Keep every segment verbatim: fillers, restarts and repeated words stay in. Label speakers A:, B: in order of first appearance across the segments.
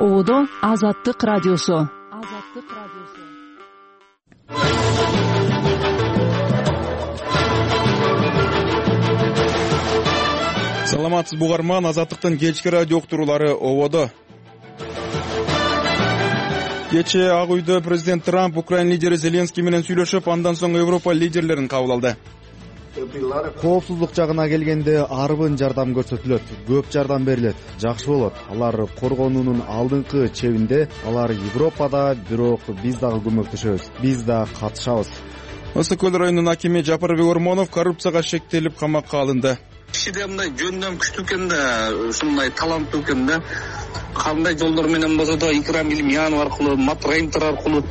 A: Ободо Азаттык радиосу. Азаттык радиосу.
B: Саламатсыз бугарман, Азаттыктын кечки радио уктуруулары Ободо. Кечээ Ак үйдө президент Трамп Украина лидери Зеленский менен сүйлөшүп, андан соң Европа лидерлерин кабыл алды.
C: Коопсуздук жагына келгенде арбын жардам көрсөтүлөт, көп жардам берилет, жакшы болот. Алар коргонуунун алдыңкы чебинде, алар Европада, бирок биз дагы көмөктөшөбүз, биз да катышабыз.
B: Ысык көл районунун акими Жапарбек Ормонов коррупцияга шектелип камакка алынды.
D: Кишиде мындай жөндөн күчтүү экен да, ушундай таланттуу экен да. Кандай жолдор менен болсо да Икрам Илимянов аркылуу, Матрейнтер аркылуу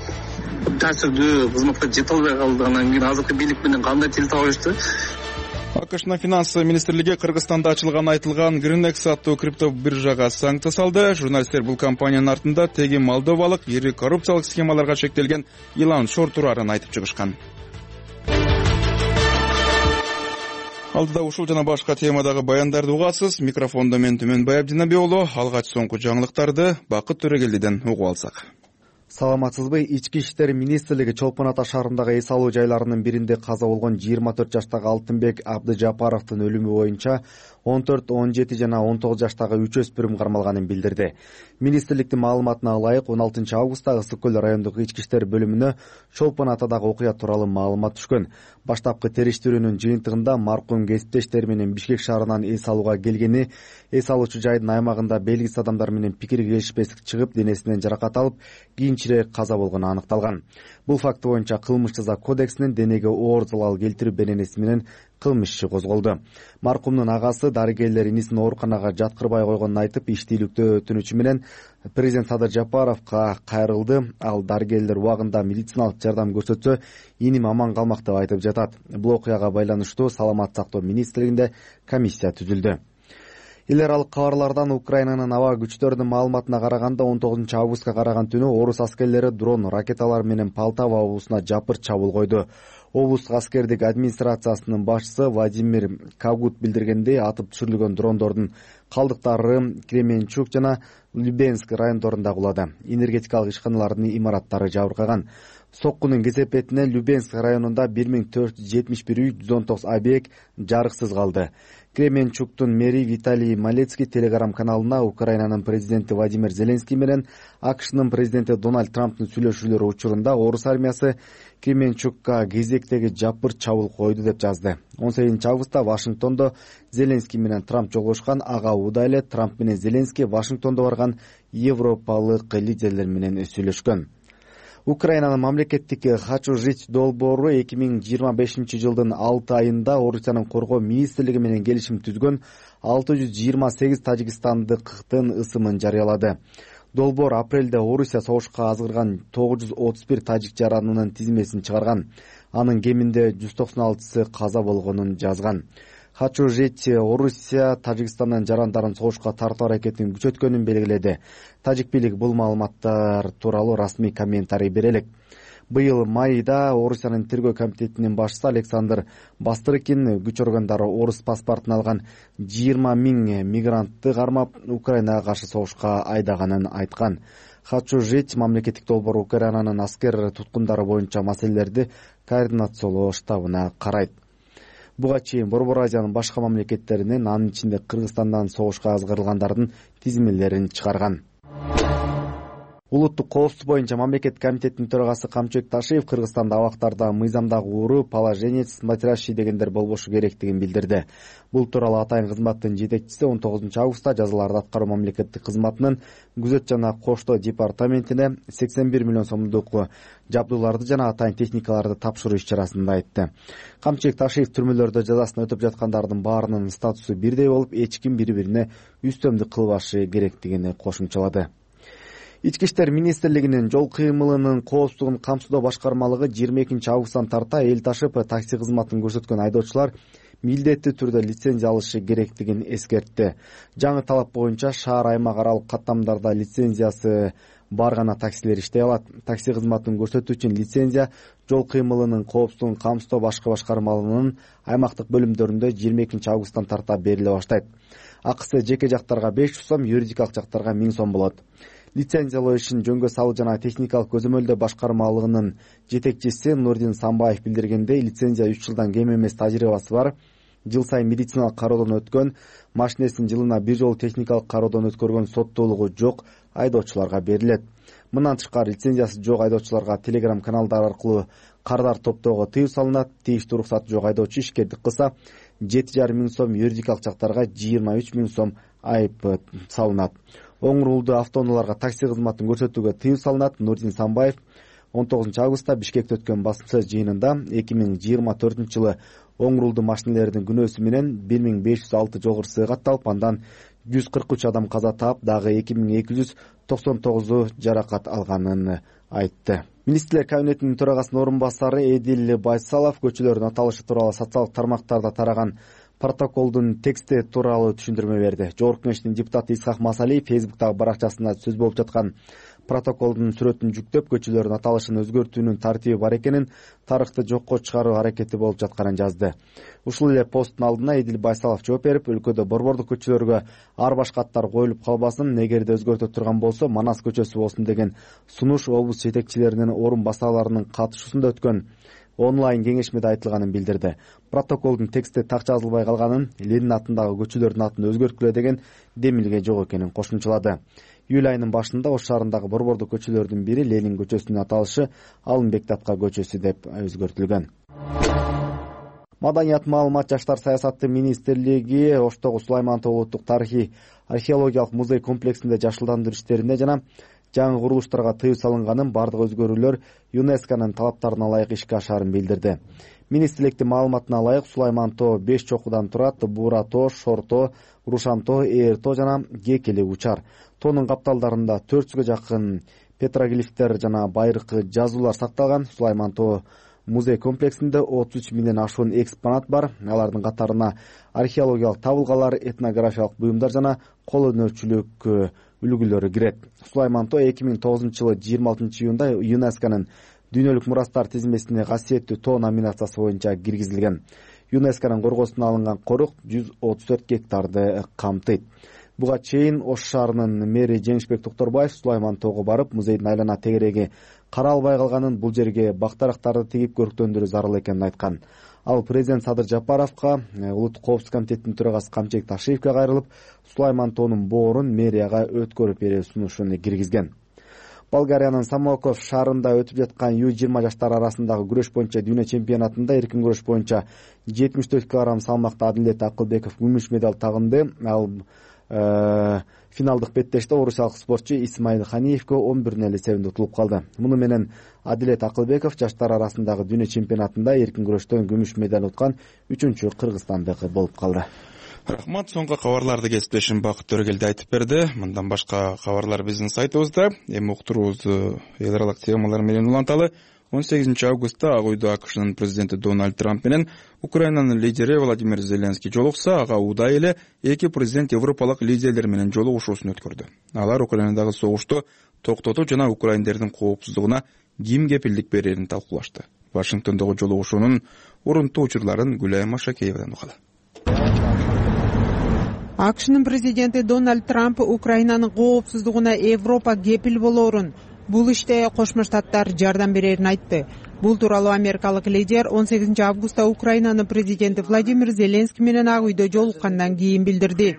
D: таасирдүү кызматка жете албай калды. Анан кийин азыркы бийлик менен кандай тил табышты.
B: АКШнын финанс министрлиги Кыргызстанда ачылганы айтылган Гринекс аттуу крипто биржага санкция салды. Журналисттер бул компаниянын артында теги молдовалык ири коррупциялык схемаларга шектелген Илан Шор турарын айтып чыгышкан. Алдыда ушул жана башка темадагы баяндарды угасыз. Микрофондо мен Түмөнбай Абдинабек уулу. Алгач соңку жаңылыктарды Бакыт Төрөгелдиден угуп алсак.
C: Саламатсызбы? Ички иштер министрлиги Чолпон Ата шаарындагы эс алуу жайларынын биринде каза болгон жыйырма төрт жаштагы Алтынбек Абдыжапаровдун өлүмү боюнча он төрт, он жети жана он тогуз жаштагы үч өспүрүм кармалганын билдирди. Министрликтин маалыматына ылайык он алтынчы августта Ысык көл райондук ички иштер бөлүмүнө Чолпон Атадагы окуя тууралуу маалымат түшкөн. Баштапкы териштирүүнүн жыйынтыгында маркум кесиптештери менен Бишкек шаарынан эс алууга келгени, эс алуучу жайдын аймагында белгисиз адамдар менен пикир келишпестик чыгып, денесинен жаракат алып, кийинчерээк каза болгону аныкталган. Бул факты боюнча кылмыш жаза кодексинин денеге оор залал келтирүү беренеси менен кылмыш иши козголду. Маркумдун агасы дарыгерлер инисин ооруканага жаткырбай койгонун айтып, иштийликтөө өтүнүчү менен президент Садыр Жапаровго кайрылды. Ал дарыгерлер убагында медициналык жардам көрсөтсө, иним аман калмак деп айтып жатат. Бул окуяга байланыштуу Саламат сактоо министрлигинде комиссия түзүлдү. Эл аралык кабарлардан Украинанын аба күчтөрүнүн маалыматына караганда он тогузунчу августка караган түнү орус аскерлери дрон ракеталар менен Полтава облусуна жапыр чабуул койду. Облустук аскердик администрациясынын башчысы Владимир Кагут билдиргендей, атып түшүрүлгөн дрондордун калдыктары Кременчук жана Любенск райондорунда кулады. Энергетикалык ишканалардын имараттары жабыркаган. Соккунун кесепетинен Любенск районунда бир миң төрт жүз жетимиш бир үй, жүз он тогуз объект жарыксыз калды. Кременчуктун мэри Виталий Малецкий телеграм каналына Украинанын президенти Владимир Зеленский менен АКШнын президенти Дональд Трамптын сүйлөшүүлөрү учурунда орус армиясы Кременчукка кезектеги жапыр чабуул койду деп жазды. он сегизинчи августта Вашингтондо Зеленский менен Трамп жолугушкан. Ага учурда эле Трамп менен Зеленский Вашингтондо барган европалык лидерлер менен сүйлөшкөн. Украинанын мамлекеттик «Хочу жить» долбоору эки миң жыйырма бешинчи жылдын алты айында Орусиянын коргоо министрлиги менен келишим түзгөн алты жүз жыйырма сегиз тажикстандыктын ысымын жарыялады. Долбоор апрелде Орусия согушка азгырган тогуз жүз отуз бир тажик жаранынын тизмесин чыгарган. Анын кеминде жүз токсон алтысы каза болгонун жазган. «Хочу жить» Орусия Тажикстандын жарандарын согушка тартуу аракетин күчөткөнүн белгиледи. Тажик бийлик бул маалыматтар тууралуу расмий комментарий бере элек. Быйыл майда Орусиянын тергөө комитетинин башчысы Александр Бастрыкин күч органдары орус паспортун алган жыйырма миң мигрантты кармап Украинага каршы согушка айдаганын айткан. «Хочу жить» мамлекеттик долбоор Украинанын аскер туткундары боюнча маселелерди координациялоо штабына карайт. Буга чейин Борбор Азиянын башка мамлекеттеринен, анын ичинде Кыргызстандан согушка азгырылгандардын тизмелерин чыгарган. Улуттук коопсуздук боюнча мамлекет комитетинин төрагасы Камчыбек Ташиев Кыргызстанда абактарда мыйзамдагы уру, положенец, смотрящий дегендер болбошу керектигин билдирди. Бул тууралуу атайын кызматтын жетекчиси он тогузунчу августта жазаларды аткаруу мамлекеттик кызматынын күзөт жана коштоо департаментине сексен бир миллион сомдук жабдууларды жана атайын техникаларды тапшыруу иш-чарасында айтты. Камчыбек Ташиев түрмөлөрдө жазасын өтөп жаткандардын баарынын статусу бирдей болуп, эч ким бири-бирине үстөмдүк кылбашы керектигин кошумчалады. Ички иштер министрлигинин жол кыймылынын коопсуздугун камсыздоо башкармалыгы жыйырма экинчи августтан тарта эл ташып такси кызматын көрсөткөн айдоочулар милдеттүү түрдө лицензия алышы керектигин эскертти. Жаңы талап боюнча шаар аймак аралык каттамдарда лицензиясы бар гана таксилер иштей алат. Такси кызматын көрсөтүү үчүн лицензия жол кыймылынын коопсуздугун камсыздоо башкы башкармалыгынын аймактык бөлүмдөрүндө жыйырма экинчи августтан тарта бериле баштайт. Акысы жеке жактарга беш жүз сом, юридикалык жактарга миң сом болот. Лицензиялоо ишин жөнгө салуу жана техникалык көзөмөлдөө башкармалыгынын жетекчиси Нурдин Самбаев билдиргендей, лицензия үч жылдан кем эмес тажрыйбасы бар, жыл сайын медициналык кароодон өткөн, машинесин жылына бир жолу техникалык кароодон өткөргөн соттуулугу жок айдоочуларга берилет. Мындан тышкары лицензиясы жок айдоочуларга телеграм каналдар аркылуу кардар топтоого тыюу салынат. Тийиштүү уруксаты жок айдоочу ишкердик кылса жети жарым миң сом, юридикалык жактарга жыйырма үч миң сом айып салынат. Оң рулдуу автоунааларга такси кызматын көрсөтүүгө тыюу салынат. Нурдин Самбаев он тогузунчу августта Бишкекте өткөн басма жыйынында эки миң жыйырма төртүнчү жылы оң рулдуу машинелердин күнөөсү менен бир миң беш жүз алты жогору сый катталып, андан жүз кырк үч адам каза таап, дагы эки миң эки жүз токсон тогузу жаракат алганын айтты. Министрлер кабинетинин төрагасынын орун басары Эдил Байсалов көчөлөрдүн аталышы тууралуу социалдык тармактарда тараган протоколдун тексти тууралуу түшүндүрмө берди. Жогорку Кеңештин депутаты Исхак Масалиев Фейсбуктагы баракчасында сөз болуп жаткан протоколдун сүрөтүн жүктөп, көчөлөрдүн аталышын өзгөртүүнүн тартиби бар экенин, тарыхты жокко чыгаруу аракети болуп жатканын жазды. Ушул эле посттун алдына Эдил Байсалов жооп берип, өлкөдө борбордук көчөлөргө ар башка аттар коюлуп калбасын, эгерде өзгөртө турган болсо Манас көчөсү болсун деген сунуш облус жетекчилеринин орун басарларынын катышуусунда өткөн онлайн кеңешмеде айтылганын билдирди. Протоколдун тексти так жазылбай калганын, Ленин атындагы көчөлөрдүн атын өзгөрткүлө деген демилге жок экенин кошумчалады. Июль айынын башында Ош шаарындагы борбордук көчөлөрдүн бири Ленин көчөсүнүн аталышы Алымбек Датка көчөсү деп өзгөртүлгөн. Маданият, маалымат, жаштар саясаты министрлиги Оштогу Сулаймантоо улуттук тарыхый археологиялык музей комплексинде жашылдандыруу иштерине жана жаңы курулуштарга тыюу салынганын, бардык өзгөрүүлөр ЮНЕСКОнун талаптарына ылайык ишке ашарын билдирди. Министрликтин маалыматына ылайык, Сулаймантоо беш чокудан турат: Буура тоо, Шор тоо, Рушан тоо, Ээр тоо жана Кекели учар. Тоонун капталдарында төрт жүзгө жакын петроглифтер жана байыркы жазуулар сакталган. Сулаймантоо музей комплексинде отуз үч миңден ашуун экспонат бар. Алардын катарына археологиялык табылгалар, этнографиялык буюмдар жана кол өнөрчүлүк үлгүлөрү кирет. Сулаймантоо эки миң тогузунчу жылы жыйырма алтынчы июнда ЮНЕСКОнун дүйнөлүк мурастар тизмесине касиеттүү тоо номинациясы боюнча киргизилген. ЮНЕСКОнун коргоосуна алынган корук жүз отуз төрт гектарды камтыйт. Буга чейин Ош шаарынын мэри Жеңишбек Токторбаев Сулаймантоого барып, музейдин айлана тегереги каралбай калганын, бул жерге бактарактарды тигип көрктөндүрүү зарыл экенин айткан. Ал президент Садыр Жапаровго, улуттук коопсуздук комитетинин төрагасы Камчек Ташиевке кайрылып, Сулаймантоонун боорун мэрияга өткөрүп берүү сунушун киргизген. Болгариянын Самоков шаарында өтүп жаткан Ю жыйырма жаштар арасындагы күрөш боюнча дүйнө чемпионатында эркин күрөш боюнча жетимиш төрт килограмм салмакта Адилет Акылбеков күмүш медаль тагынды. Ал финалдык беттеште орусиялык спортчу Исмаил Ханиевге он бир нөл эсебинде утулуп калды. Муну менен Адилет Акылбеков жаштар арасындагы дүйнө чемпионатында эркин күрөштөн күмүш медаль уткан үчүнчү кыргызстандык болуп калды.
B: Рахмат. Соңку кабарларды кесиптешим Бакыт Төрөгелди айтып берди. Мындан башка кабарлар биздин сайтыбызда. Эми уктуруубузду эл аралык темалар менен уланталы. он сегизинчи августта Ак үйдө АКШнын президенти Дональд Трамп менен Украинанын лидери Владимир Зеленский жолукса, ага удай эле эки президент европалык лидерлер менен жолугушуусун өткөрдү. Алар Украинадагы согушту токтотуу жана украиндердин коопсуздугуна ким кепилдик берерин талкуулашты. Вашингтондогу жолугушуунун урунтуу учурларын Гүлай Машакеевадан угалы.
E: АКШнын президенти Дональд Трамп Украинанын коопсуздугуна Европа кепил болоорун, бул иште Кошмо Штаттар жардам берерин айтты. Бул тууралуу америкалык лидер он сегизинчи августта Украинанын президенти Владимир Зеленский менен Ак үйдө жолуккандан кийин билдирди.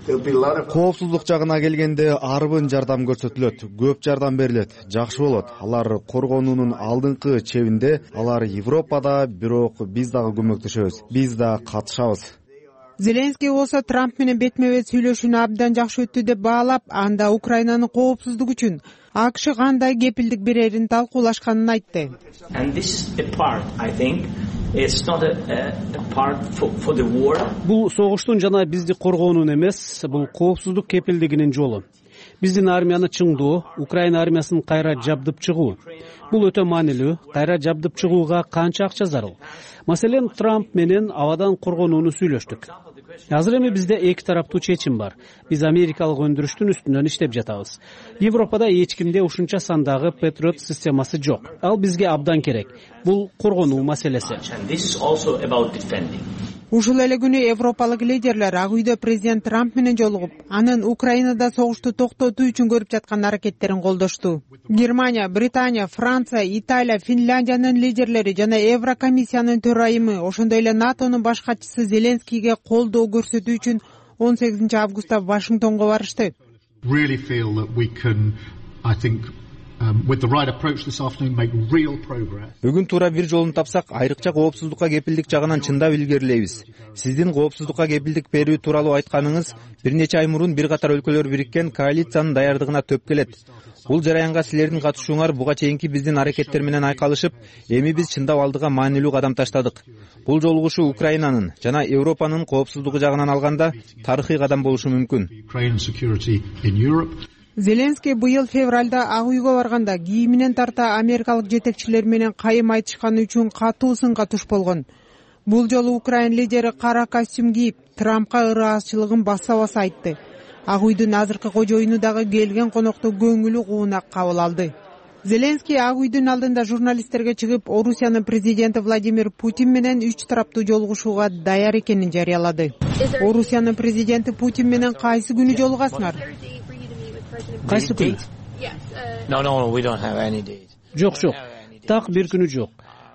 C: Коопсуздук жагына келгенде арбын жардам көрсөтүлөт, көп жардам берилет, жакшы болот. Алар коргонуунун алдыңкы чебинде, алар Европада, бирок биз дагы көмөктөшөбүз, биз да катышабыз.
E: Зеленский болсо Трамп менен бетме-бет сүйлөшүүнү абдан жакшы өттү деп баалап, анда Украинанын коопсуздугу үчүн АКШ кандай кепилдик берерин талкуулашканын айтты.
F: Бул согуштун жана бизди коргоонун эмес, бул коопсуздук кепилдигинин жолу. Биздин армияны чыңдоо, Украина армиясын кайра жабдып чыгуу. Бул өтө маанилүү. Кайра жабдып чыгууга канча акча зарыл? Маселен, Трамп менен абадан коргонууну сүйлөштүк. Азыр эми бизде эки тараптуу чечим бар. Биз америкалык өндүрүштүн үстүнөн иштеп жатабыз. Европада эч кимде ушунча сандагы Patriot системасы жок. Ал бизге абдан керек. Бул коргонуу маселеси.
E: Ушул эле күнү европалык лидерлер Ак үйдө президент Трамп менен жолугуп, анын Украинада согушту токтотуу үчүн көрүп жаткан аракеттерин колдошту. Германия, Британия, Франция, Италия, Финляндиянын лидерлери жана Еврокомиссиянын төрайымы, ошондой эле НАТОнун баш катчысы Зеленскийге колдоо көрсөтүү үчүн он сегизинчи августта Вашингтонго барышты.
G: Бүгүн туура бир жолун тапсак, айрыкча коопсуздукка кепилдик жагынан чындап илгерилейбиз. Сиздин коопсуздукка кепилдик берүү тууралуу айтканыңыз бир нече ай мурун бир катар өлкөлөр бириккен коалициянын даярдыгына төп келет. Бул жараянга силердин катышууңар буга чейинки биздин аракеттер менен айкалышып, эми биз чындап алдыга маанилүү кадам таштадык. Бул жолугушуу Украинанын жана Европанын коопсуздугу жагынан алганда тарыхый кадам болушу мүмкүн.
E: Зеленский быйыл февралда Ак үйгө барганда кийиминен тарта америкалык жетекчилер менен кайым айтышканы үчүн катуу сынга туш болгон. Бул жолу Украин лидери кара костюм кийип, Трампка ыраазычылыгын баса-баса айтты. Ак үйдүн азыркы кожоюну дагы келген конокту көңүлү куунак кабыл алды. Зеленский Ак үйдүн алдында журналисттерге чыгып, Орусиянын президенти Владимир Путин менен үч тараптуу жолугушууга даяр экенин жарыялады. Орусиянын президенти Путин менен кайсы күнү жолугасыңар?
F: Кайсы күн? Жок, жок. Так бир күнү жок.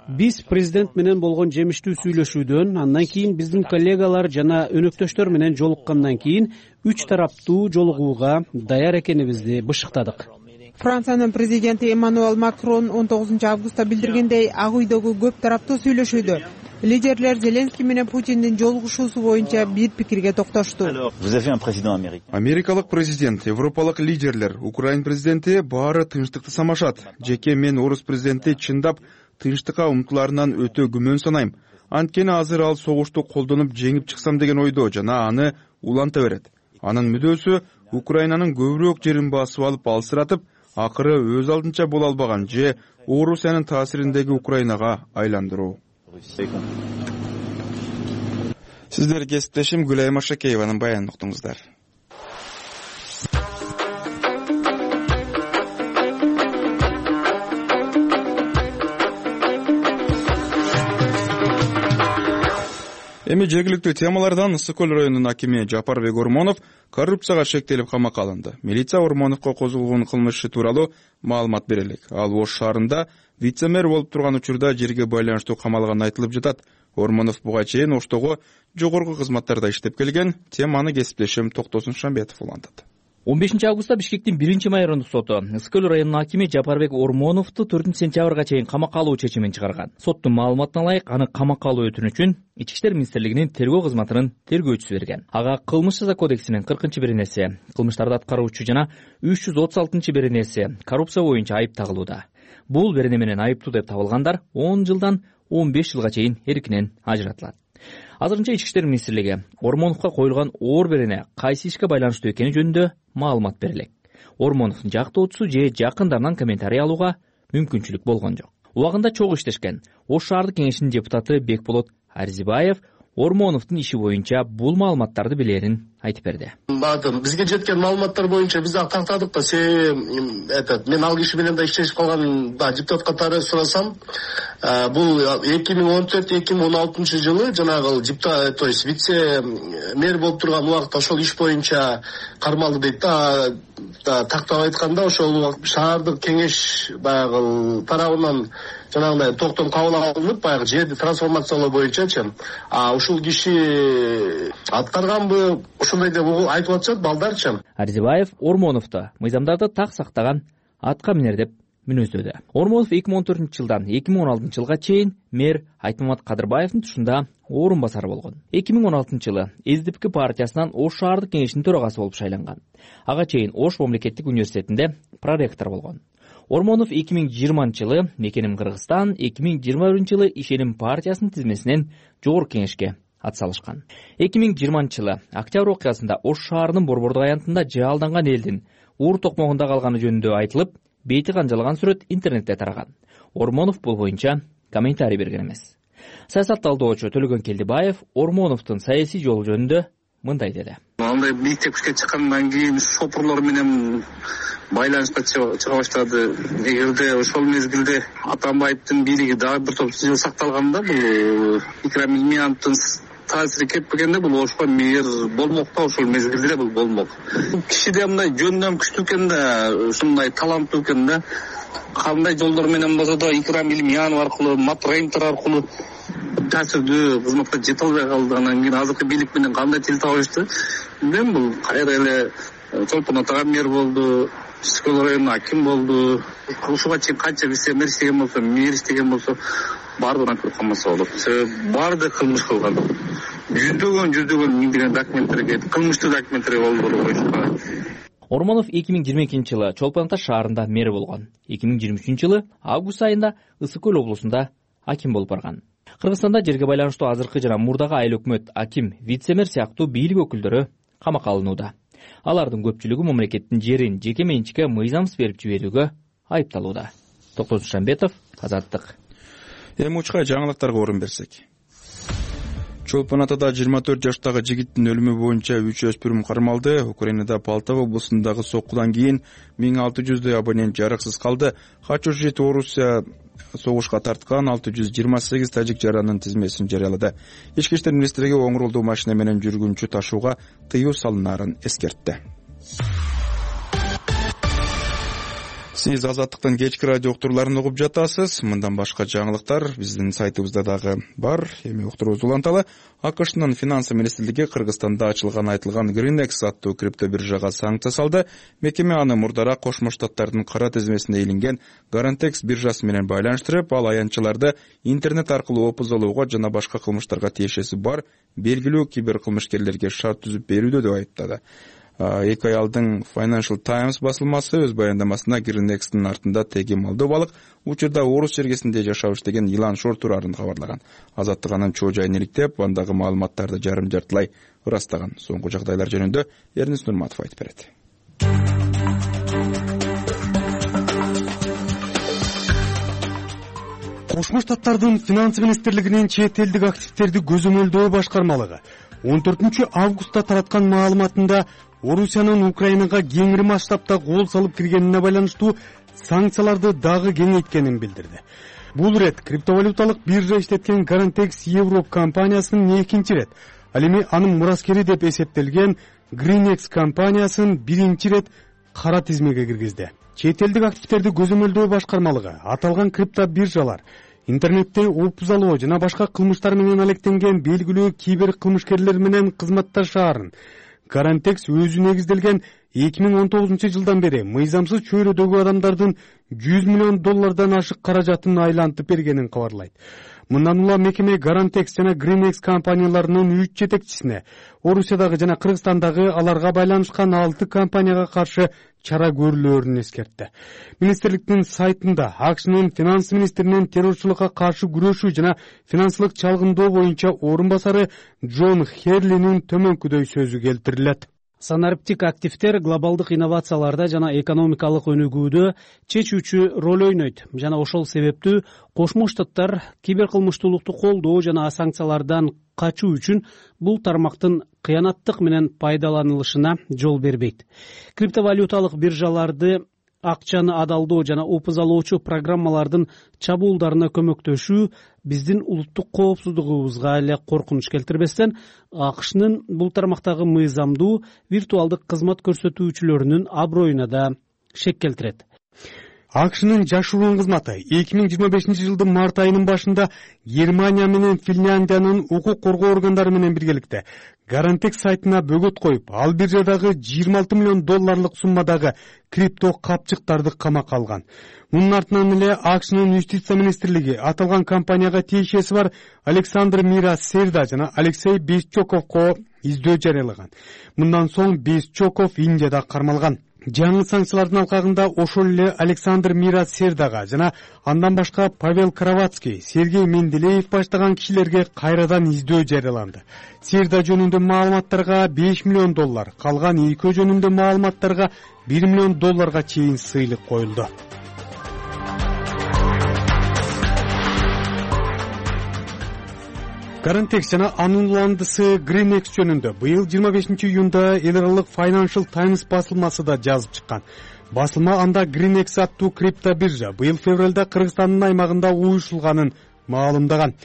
F: Биз президент менен болгон жемиштүү сүйлөшүүдөн, андан кийин биздин коллегалар жана өнөктөштөр менен жолуккандан кийин үч тараптуу жолугууга даяр экенибизди бышыктадык.
E: Франциянын президенти Эммануэль Макрон он тогузунчу августта билдиргендей, Ак үйдөгү көп тараптуу сүйлөшүүдө лидерлер Зеленский менен Путиндин жолугушуусу боюнча бир пикирге токтошту.
B: Америкалык президент, европалык лидерлер, Украин президенти баары тынчтыкты самашат. Жеке мен орус президенти чындап тынчтыкка умтуларынан өтө күмөн санайм. Анткени азыр ал согушту колдонуп жеңип чыксам деген ойдо жана аны уланта берет. Анын мүдөөсү Украинанын көбүрөөк жерин басып алып алсыратып, акыры өз алдынча боло албаган же Орусиянын таасириндеги Украинага айландыруу. Сиздер кесиптешим Гүлайым Ашакееванын баянын уктуңуздар. Эми жергиликтүү темалардан Ысык көл районунун акими Жапарбек Ормонов коррупцияга шектелип камакка алынды. Милиция Ормоновго козголгон кылмышы тууралуу маалымат бере элек. Ал Ош шаарында вице-мэр болуп турган учурда жерге байланыштуу камалганы айтылып жатат. Ормонов буга чейин Оштогу жогорку кызматтарда иштеп келген. Теманы кесиптешим Токтосун Шамбетов улантат.
H: он бешинчи августта Бишкектин биринчи майорундук соту Ысык көл районунун акими Жапарбек Ормоновду төртүнчү сентябрга чейин камакка алуу чечимин чыгарган. Соттун маалыматына ылайык, аны камакка алуу өтүнүчүн Ички иштер министрлигинин тергөө кызматынын тергөөчүсү берген. Ага кылмыш жаза кодексинин кыркынчы беренеси, кылмыштарды аткаруучу жана үч жүз отуз алтынчы беренеси коррупция боюнча айып тагылууда. Бул берене менен айыптуу деп табылгандар он жылдан он беш жылга чейин эркинен ажыратылат. Азырынча Ички иштер министрлиги Ормоновго коюлган оор берене кайсы ишке байланыштуу экени жөнүндө маалымат бере элек. Ормоновдун жактоочусу же жакындарынан комментарий алууга мүмкүнчүлүк болгон жок. Убагында чогуу иштешкен Ош шаардык кеңешинин депутаты Бекболот Арзибаев Ормоновдун иши боюнча бул маалыматтарды билерин айтып берди.
I: Бизге жеткен маалыматтар боюнча биз ак тактадык да, этот мен ал киши менен да иштешип калган депутат катары сурасам, бул эки миң он төрт эки миң он алтынчы жылы жанагы депутат, то есть вице мэр болуп турган убакта ошол иш боюнча кармалды дейт да. Тактап айтканда ошол шаардык кеңеш баягы тарабынан жанагындай токтом кабыл алынып, баягы жерди трансформациялоо боюнчачы. А ушул киши аткарганбы, ошондой деп айтып атышат балдарчы.
H: Арзибаев Ормоновду мыйзамдарды так сактаган атка минер деп мүнөздөдү. Ормонов эки миң он төртүнчү жылдан эки миң он алтынчы жылга чейин мэр Айтмамат Кадырбаевдин тушунда орун басары болгон. эки миң он алтынчы жылы эс ди пи партиясынан Ош шаардык кеңешинин төрагасы болуп шайланган. Ага чейин Ош мамлекеттик университетинде проректор болгон. Ормонов эки миң жыйырманчы жылы Мекеним Кыргызстан, эки миң жыйырма биринчи жылы Ишеним партиясынын тизмесинен жогорку кеңешке атсалышкан. эки миң жыйырманчы жылы октябрь окуясында Ош шаарынын Борбордук аянтында жаалданган элдин уур токмогунда калганы жөнүндө айтылып, бейти канжалган сүрөт интернетте тараган. Ормонов бул боюнча комментарий берген эмес. Саясат талдоочу Төлөгөн Келдибаев Ормоновдун саясий жолу жөнүндө мындай деди.
D: Андай мектепке чыккандан кийин шопурлор менен байланышка чыга баштады. Эгерде ошол мезгилде Атамбаевдин бийлиги дагы бир топ жыл сакталганда, бул микромилиметрдин таасири кетпегенде бул ошко мээр болмок да, ошол мезгилде бул болмок. Кишиде мындай жөндөн күчтүү экен да, ушундай таланттуу экен да. Кандай жолдор менен болсо да Икрам Илимянов аркылуу, Мат Рейнтер аркылуу таасирдүү кызматка жете албай калды. Анан кийин азыркы бийлик менен кандай тил табышты билбейм. Бул кайра эле Чолпон атага мэр болду, Скөл районуна аким болду. Ушуга чейин канча вице-мэр иштеген болсо, мэр иштеген болсо баардыгына көрүп калмаса болот. Себеби баардыгы кылмыш кылган. Жүздөгөн жүздөгөн миңдеген документтерге, кылмыштуу документтерге колдоруп коюшкан.
H: Ормонов эки миң жыйырма экинчи жылы Чолпон Ата шаарында мэр болгон. эки миң жыйырма үчүнчү жылы август айында Ысык Көл облусунда аким болуп барган. Кыргызстанда жерге байланыштуу азыркы жана мурдагы айыл өкмөт, аким, вице-мэр сыяктуу бийлик өкүлдөрү камакка алынууда. Алардын көпчүлүгү мамлекеттин жерин жеке менчикке мыйзамсыз берип жиберүүгө айыпталууда. Токтосун Шамбетов, Азаттык.
B: Эми учка жаңылыктарга орун берсек. Чолпон Атада жыйырма төрт жаштагы жигиттин өлүмү боюнча үч өспүрүм кармалды. Украинада Полтава облусундагы соккудан кийин миң алты жүздөй абонент жарыксыз калды. Качуу жит Орусия согушка тарткан алты жүз жыйырма сегиз тажик жаранын тизмесин жарыялады. Ички иштер министрлиги оң рулдуу машина менен жүргүнчү ташууга тыюу салынаарын эскертти. Сиз Азаттыктын кечки радио уктурууларын угуп жатасыз. Мындан башка жаңылыктар биздин сайтыбызда дагы бар. Эми уктуруубузду уланталы. АКШнын финансы министрлиги Кыргызстанда ачылган айтылган Гринекс аттуу крипто биржага санкция салды. Мекеме аны мурдараак Кошмо Штаттардын кара тизмесине илинген Гарантекс биржасы менен байланыштырып, ал аянтчыларды интернет аркылуу опузалууга жана башка кылмыштарга тиешеси бар белгилүү киберкылмышкерлерге шарт түзүп берүүдө деп айыптады. Эки ай алдын Financial Times басылмасы өз баяндамасына Гринекстин артында теги Молдовалык, учурда Орус жергесинде жашап иштеген Илан Шор турарын кабарлаган. Азаттык анын чоо жайын иликтеп, андагы маалыматтарды жарым жартылай ырастаган. Соңку жагдайлар жөнүндө Эрнис Нурматов айтып берет.
J: Кошмо Штаттардын финансы министрлигинин чет элдик активдерди көзөмөлдөө башкармалыгы он төртүнчү августта тараткан маалыматында Орусиянын Украинага кеңири масштабта кол салып киргенине байланыштуу санкцияларды дагы кеңейткенин билдирди. Бул ирет криптовалюталык биржа иштеткен Гарантекс Европ компаниясынын экинчи ирет, ал эми анын мураскери деп эсептелген Гринекс компаниясын биринчи ирет кара тизмеге киргизди. Чет элдик активдерди көзөмөлдөө башкармалыгы аталган крипто биржалар интернетте опузалоо жана башка кылмыштар менен алектенген белгилүү кибер кылмышкерлер менен кызматташаарын Гарантекс өзү негизделген эки миң он тогузунчу жылдан бери мыйзамсыз чөйрөдөгү адамдардын жүз миллион доллардан ашык каражатын айлантып бергенин кабарлайт. Мындан улам мекеме Гарантекс жана Гринекс компанияларынын үч жетекчисине Орусиядагы жана Кыргызстандагы аларга байланышкан алты компанияга каршы чара көрүлөөрүн эскертти. Министрликтин сайтында АКШнын финанс министринин террорчулукка каршы күрөшүү жана финансылык чалгындоо боюнча орун басары Джон Херлинин төмөнкүдөй сөзү келтирилет.
F: Санариптик активдер глобалдык инновацияларда жана экономикалык өнүгүүдө чечүүчү роль ойнойт жана ошол себептүү Кошмо Штаттар киберкылмыштуулукту колдоо жана санкциялардан качуу үчүн бул тармактын кыянаттык менен пайдаланылышына жол бербейт. Криптовалюталык биржаларды акчаны адалдоо жана опузалоочу программалардын чабуулдарына көмөктөшүү биздин улуттук коопсуздугубузга эле коркунуч келтирбестен, АКШнын бул тармактагы мыйзамдуу виртуалдык кызмат көрсөтүүчүлөрүнүн аброюна да шек келтирет.
J: АКШнын жашыруун кызматы эки миң жыйырма бешинчи жылдын март айынын башында Германия менен Финляндиянын укук коргоо органдары менен биргеликте Гарантекс сайтына бөгөт коюп, ал биржадагы жыйырма алты миллион долларлык суммадагы крипто капчыктарды камакка алган. Мунун артынан эле АКШнын юстиция министрлиги аталган компанияга тиешеси бар Александр Мира Серда жана Алексей Бесчоковго издөө жарыялаган. Мындан соң Бесчоков Индияда кармалган. Жаңы санкциялардын алкагында ошол эле Александр Мира Сердага жана андан башка Павел Кравацкий, Сергей Менделеев баштаган кишилерге кайрадан издөө жарыяланды. Серда жөнүндө маалыматтарга беш миллион доллар, калган экөө жөнүндө маалыматтарга бир миллион долларга чейин сыйлык коюлду. Гарантекс жана анын уландысы Гринекс жөнүндө быйыл жыйырма бешинчи июнда эл аралык Financial Times басылмасы да жазып чыккан. Басылма анда Гринекс аттуу крипто биржа быйыл февралда Кыргызстандын аймагында уюшулганын маалымдаган.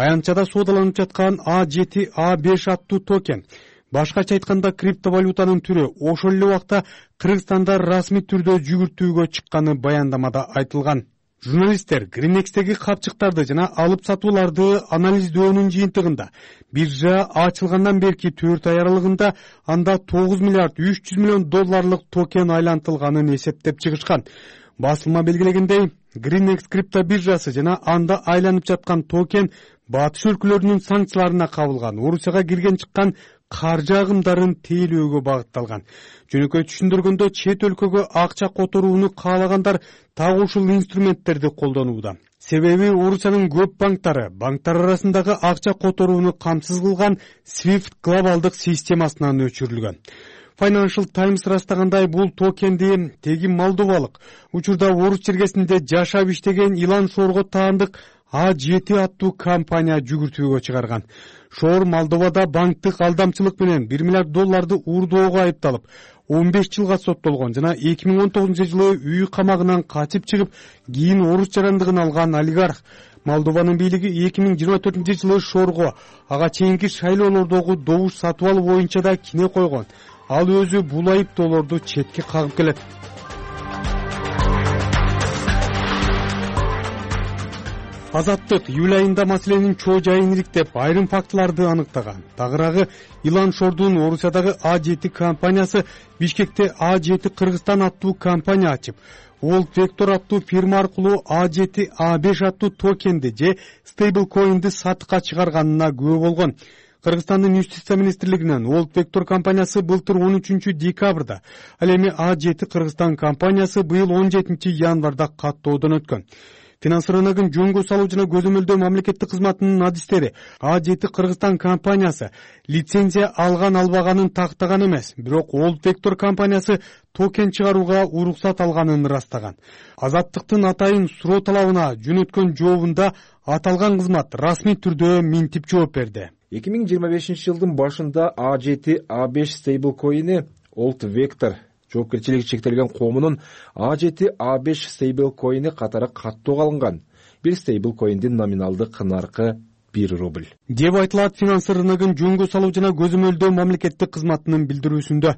J: аянтчада соодаланып жаткан А жети А беш аттуу токен, башкача айтканда криптовалютанын түрү ошол эле убакта Кыргызстанда расмий түрдө жүгүртүүгө чыкканы баяндамада айтылган. Журналисттер Гриннексдеги капчыктарды жана алып сатууларды анализдөөнүн жыйынтыгында биржа ачылгандан берки төрт ай аралыгында анда тогуз миллиард үч жүз миллион долларлык токен айлантылганын эсептеп чыгышкан. Басылма белгилегендей, Гриннекс крипто биржасы жана анда айланып жаткан токен батыш өлкөлөрүнүн санкцияларына кабылган Орусияга кирген чыккан каржы агымдарын тейлөөгө багытталган. Жөнөкөй түшүндүргөндө, чет өлкөгө акча которууну каалагандар так ушул инструменттерди колдонууда. Себеби Орусиянын көп банктары банктар арасындагы акча которууну камсыз кылган Swift глобалдык системасынан өчүрүлгөн. Financial Times ырастагандай, бул токенди теги молдовалык, учурда Орус чергесинде жашап иштеген Илан Шорго таандык А жети аттуу компания жүгүртүүгө чыгарган. Шор Молдовада банктык алдамчылык менен бир миллиард долларды уурдоого айыпталып, он беш жылга соттолгон жана эки миң он тогузунчу жылы үй камагынан качып чыгып, кийин орус жарандыгын алган олигарх. Молдованын бийлиги эки миң жыйырма төртүнчү жылы Шорго ага чейинки шайлоолордогу добуш сатып алуу боюнча да кине койгон. Ал өзү бул айыптоолорду четке кагып келет. Азаттык июль айында маселенин чоо жайын ириктеп, айрым фактыларды аныктаган. Тагыраагы, Илан Шордун Орусиядагы А жети компаниясы Бишкекте А жети Кыргызстан аттуу компания ачып, World Vector аттуу фирма аркылуу А жети А беш аттуу токенди же стейблкоинди сатыкка чыгарганына күбө болгон. Кыргызстандын юстиция министрлигинен World Vector компаниясы былтыр он үчүнчү декабрда, ал эми А жети Кыргызстан компаниясы быйыл он жетинчи январда каттоодон өткөн. Финанс рыногун жөнгө салуу жана көзөмөлдөө мамлекеттик кызматынын адистери А жети Кыргызстан компаниясы лицензия алган албаганын тактаган эмес, бирок World Vector компаниясы токен чыгарууга уруксат алганын ырастаган. Азаттыктын атайын суроо талабына жөнөткөн жообунда аталган кызмат расмий түрдө минтип жооп берди.
K: эки миң жыйырма бешинчи жылдын башында А жети А беш стейблкоини World Vector жоопкерчилиги чектелген коомунун А жети А беш стейблкоини катары каттоого алынган. Бир стейблкоиндин номиналдык наркы бир рубль.
J: Деп айтылат финанс рыногун жөнгө салуу жана көзөмөлдөө мамлекеттик кызматынын билдирүүсүндө.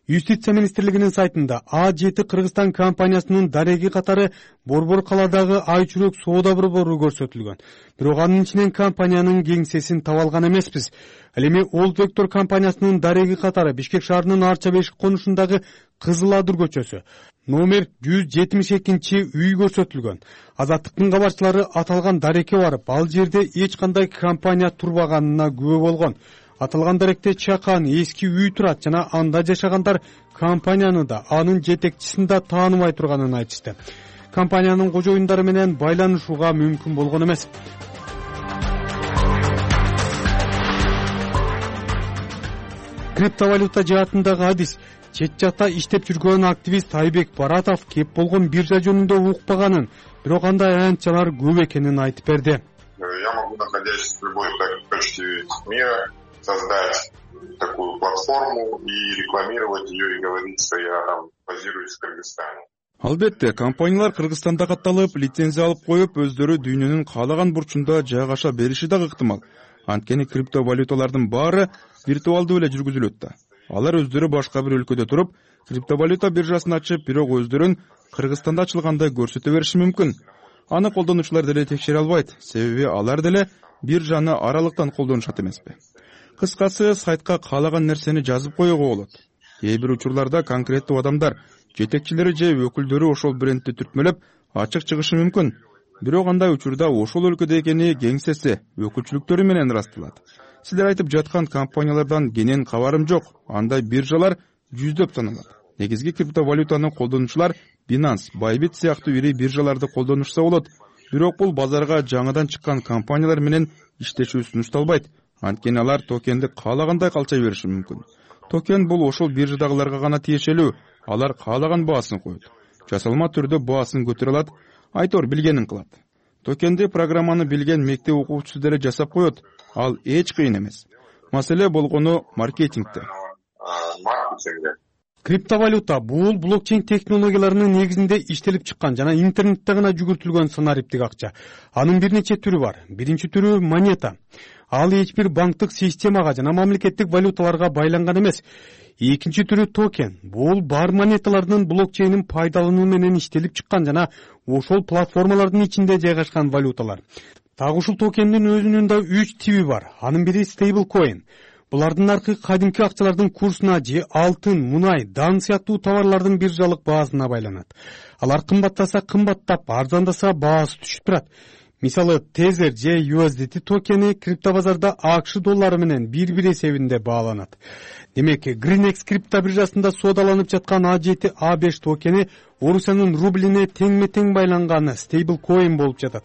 J: Юстиция министрлигинин сайтында А жети Кыргызстан компаниясынын дареги катары Борбор калаадагы айчүрөк соода борбору көрсөтүлгөн. Бирок анын ичинен компаниянын кеңсесин таба алган эмеспиз. Ал эми World Vector компаниясынын дареги катары Бишкек шаарынын Арча бешик конушундагы Кызыл Адыр көчөсү, номер жүз жетимиш экинчи үй көрсөтүлгөн. Азаттыктын кабарчылары аталган дарекке барып, ал жерде эч кандай компания турбаганына күбө болгон. Аталган даректе чакан эски үй турат жана анда жашагандар компанияны да, анын жетекчисин да тааныбай турганын айтышты. Компаниянын кожоюндары менен байланышууга мүмкүн болгон эмес. Криптовалюта жаатындагы адис чет жакта иштеп жүргөн активист Айбек Баратов кеп болгон биржа жөнүндө укпаганын, бирок андай аянтчалар көп экенин айтып берди.
L: Я могу, находясь в любой точке мира, создать такую платформу и рекламировать ее и говорить, что я там базируюсь в Кыргызстане.
B: Албетте, компаниялар Кыргызстанда катталып, лицензия алып коюп, өздөрү дүйнөнүн каалаган бурчунда жайгаша бериши да ыктымал. Анткени криптовалюталардын баары виртуалдуу эле жүргүзүлөт да. Алар өздөрү башка бир өлкөдө туруп, криптовалюта биржасын ачып, бирок өздөрүн Кыргызстанда ачылгандай көрсөтө бериши мүмкүн. Аны колдонуучулар деле текшере албайт, себеби алар деле биржаны аралыктан колдонушат эмеспи. Кыскасы, сайтка каалаган нерсени жазып коюуга болот. Кээ бир учурларда конкреттүү адамдар, жетекчилери же өкүлдөрү ошол брендти түртмөлөп ачык чыгышы мүмкүн. Бирок андай учурда ошол өлкөдө экени кеңсеси, өкүлчүлүктөрү менен ырасталат. Силер айтып жаткан компаниялардан кенен кабарым жок. Андай биржалар жүздөп саналат. Негизги криптовалютаны колдонуучулар Binance, Bybit сыяктуу ири биржаларды колдонушса болот. Бирок бул базарга жаңыдан чыккан компаниялар менен иштешүү сунушталбайт. Анткени алар токенди каалагандай калча бериши мүмкүн. Токен бул ошол биржадагыларга гана тиешелүү. Алар каалаган баасын коет. Жасалма түрдө баасын көтөрө алат, айтор билгенин кылат. Токенди программаны билген мектеп окуучусу деле жасап коет. Ал эч кыйын эмес. Маселе болгону маркетингде.
L: Маркетинге.
J: криптовалюта бул блокчейн технологияларынын негизинде иштелип чыккан жана интернетте гана жүгүртүлгөн санариптик акча. Анын бир нече түрү бар. Биринчи түрү монета. Ал эч бир банктык системага жана мамлекеттик валюталарга байланган эмес. Экинчи түрү токен. Бул бар монеталардын блокчейнин пайдалануу менен иштелип чыккан жана ошол платформалардын ичинде жайгашкан валюталар. Так ушул токендин өзүнүн да үч тиби бар. Анын бири стейблкоин. Булардын наркы кадимки акчалардын курсуна же алтын, мунай, дан сыяктуу товарлардын биржалык баасына байланат. Алар кымбаттаса кымбаттап, арзандаса баасы түшүп турат. Мисалы, Tether же ю эс ди ти токени криптобазарда АКШ доллары менен bir-bir эсебинде бааланат. Демек, Greenex крипто биржасында соодаланып жаткан а жети а беш токени Орусиянын рублине теңме-тең байланган стейблкоин болуп жатат.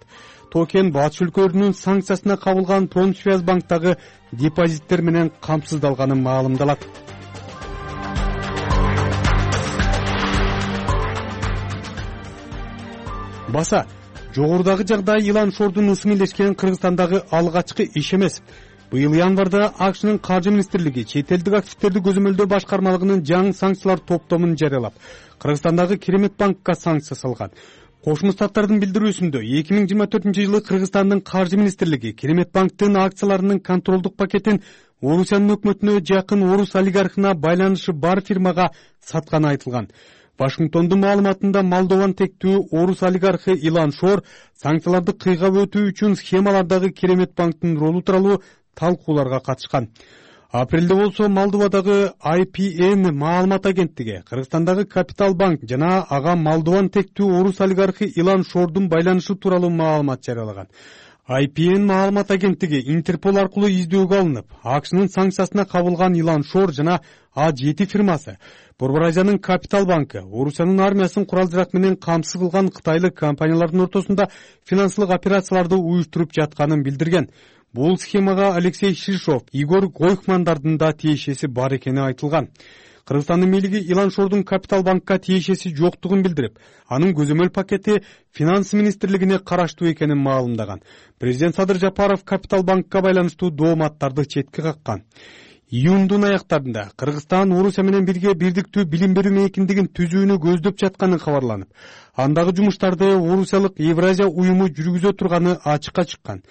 J: Токен батыш өлкөлөрүнүн санкциясына кабылган Промсвязьбанктагы депозиттер менен камсыздалганы маалымдалат. Баса, жогорудагы жагдай Илан Шордун ысымы илешкен Кыргызстандагы алгачкы иш эмес. Быйыл январда АКШнын каржы министрлиги чет элдик активдерди көзөмөлдөө башкармалыгынын жаңы санкциялар топтомун жарыялап, Кыргызстандагы Керемет банкка санкция салган. Кошмо Штаттардын билдирүүсүндө эки миң жыйырма төртүнчү жылы Кыргызстандын каржы министрлиги Керемет банктын акцияларынын контролдук пакетин Орусиянын өкмөтүнө жакын орус олигархына байланышы бар фирмага сатканы айтылган. Вашингтондун маалыматында Молдован тектүү орус олигархы Илан Шор санкцияларды кыйгап өтүү үчүн схемалардагы Керемет банктын ролу тууралуу талкууларга катышкан. Апрелде болсо Молдовадагы ай пи эн маалымат агенттиги Кыргызстандагы Капитал банк жана ага Молдован тектүү орус олигархы Илан Шордун байланышы тууралуу маалымат жарыялаган. ай пи эн маалымат агенттиги Интерпол аркылуу издөөгө алынып, АКШнын санкциясына кабылган Илан Шор жана а жети фирмасы, Борбор Азиянын Капитал банкы, Орусиянын армиясын курал-жарак менен камсыз кылган кытайлык компаниялардын ортосунда финансылык операцияларды уюштуруп жатканын билдирген. Бул схемага Алексей Шишов, Игорь Гойхмандардын да тиешеси бар экени айтылган. Кыргызстандын бийлиги Илан Шордун Капитал банкка тиешеси жоктугун билдирип, анын көзөмөл пакети Финанс министрлигине караштуу экенин маалымдаган. Президент Садыр Жапаров Капитал банкка байланыштуу дооматтарды четке каккан. Июндун аяктарында Кыргызстан Орусия менен бирге бирдиктүү билим берүү мейкиндигин түзүүнү көздөп жатканы кабарланып, андагы жумуштарды Орусиялык Евразия уюму жүргүзө турганы ачыкка чыккан.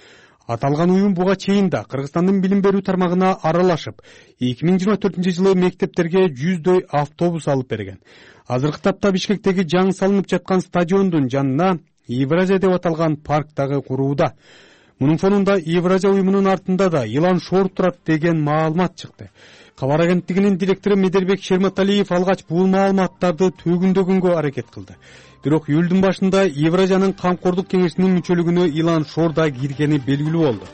J: Аталган уюм буга чейин да Кыргызстандын билим берүү тармагына аралашып, эки миң жыйырма төртүнчү жылы мектептерге жүздөй автобус алып берген. Азыркы тапта Бишкектеги жаңы салынып жаткан стадиондун жанына Евразия деп аталган парк дагы курууда. Мунун фонунда Евразия уюмунун артында да Илан Шор турат деген маалымат чыкты. Кабар агенттигинин директору Медербек Шерматалиев алгач бул маалыматтарды төгүндөгөнгө аракет кылды. Бирок июлдун башында Евразиянын камкордук кеңешинин мүчөлүгүнө Илан Шор да киргени белгилүү болду.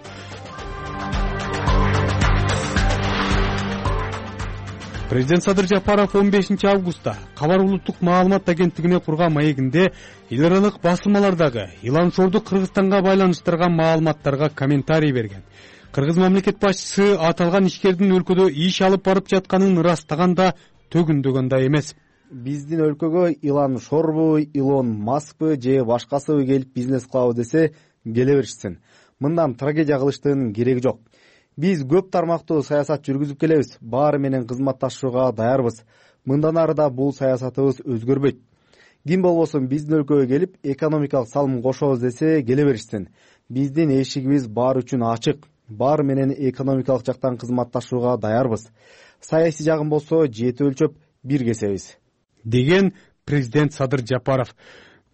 J: Президент Садыр Жапаров он бешинчи августта Кабар улуттук маалымат агенттигине курган маегинде эл аралык басылмалардагы Илан Шорду Кыргызстанга байланыштырган маалыматтарга комментарий берген. Кыргыз мамлекет башчысы аталган ишкердин өлкөдө иш алып барып жатканын ырастаганда төгүндөгөн да эмес.
C: Биздин өлкөгө Илан Шорбу, Илон Маскпы же башкасыбы келип бизнес кылабы десе келе беришсин. Мындан трагедия кылыштын кереги жок. Биз көп тармактуу саясат жүргүзүп келебиз, баары менен кызматташууга даярбыз. Мындан ары да бул саясатыбыз өзгөрбөйт. Ким болбосун биздин өлкөгө келип экономикалык салым кошобуз десе келе беришсин. Биздин эшигибиз баары үчүн ачык. Баары менен экономикалык жактан кызматташууга даярбыз. Саясий жагын болсо жети өлчөп бир кесебиз,
J: деген президент Садыр Жапаров.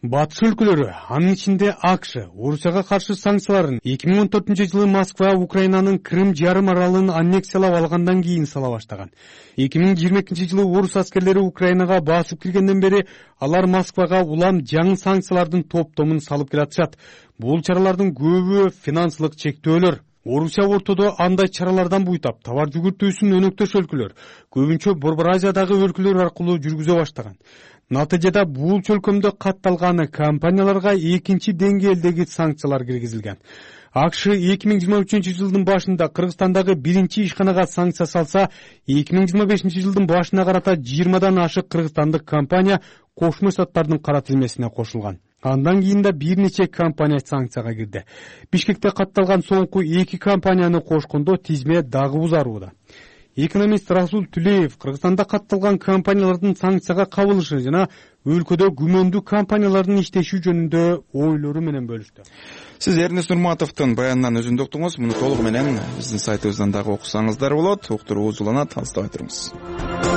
J: Батыш өлкөлөрү, анын ичинде АКШ, Орусияга каршы санкцияларын эки миң он төртүнчү жылы Москва Украинанын Крым жарым аралын аннексиялап алгандан кийин сала баштаган. эки миң жыйырма экинчи жылы орус аскерлери Украинага басып киргенден бери алар Москвага улам жаңы санкциялардын топтомун салып келатышат. Бул чаралардын көбү финансылык чектөөлөр. Орусия ортодо андай чаралардан буйтап, товар жүгүртүүсүн өнөктөш өлкөлөр, көбүнчө Борбор Азиядагы өлкөлөр аркылуу жүргүзө баштаган. Натыйжада бул чөлкөмдө катталган компанияларга экинчи деңгээлдеги санкциялар киргизилген. АКШ эки миң жыйырма үчүнчү жылдын башында Кыргызстандагы биринчи ишканага санкция салса, эки миң жыйырма бешинчи жылдын башына карата жыйырмадан ашык кыргызстандык компания Кошмо Штаттардын кара тилмесине кошулган. Андан кийин да бир нече компания санкцияга кирди. Бишкекте катталган соңку эки компанияны кошкондо тизме дагы узарууда. экономист Расул Түлеев Кыргызстанда катталган компаниялардын санкцияга кабылышы жана өлкөдө күмөндүү компаниялардын иштеши жөнүндө ойлору менен бөлүштү.
B: Сиз Эрнест Нурматовдун баянынан өзүндү уктуңуз. Муну толугу менен биздин сайтыбыздан дагы окусаңыздар болот. Уктуруу узуланат, алыстабай туруңуз.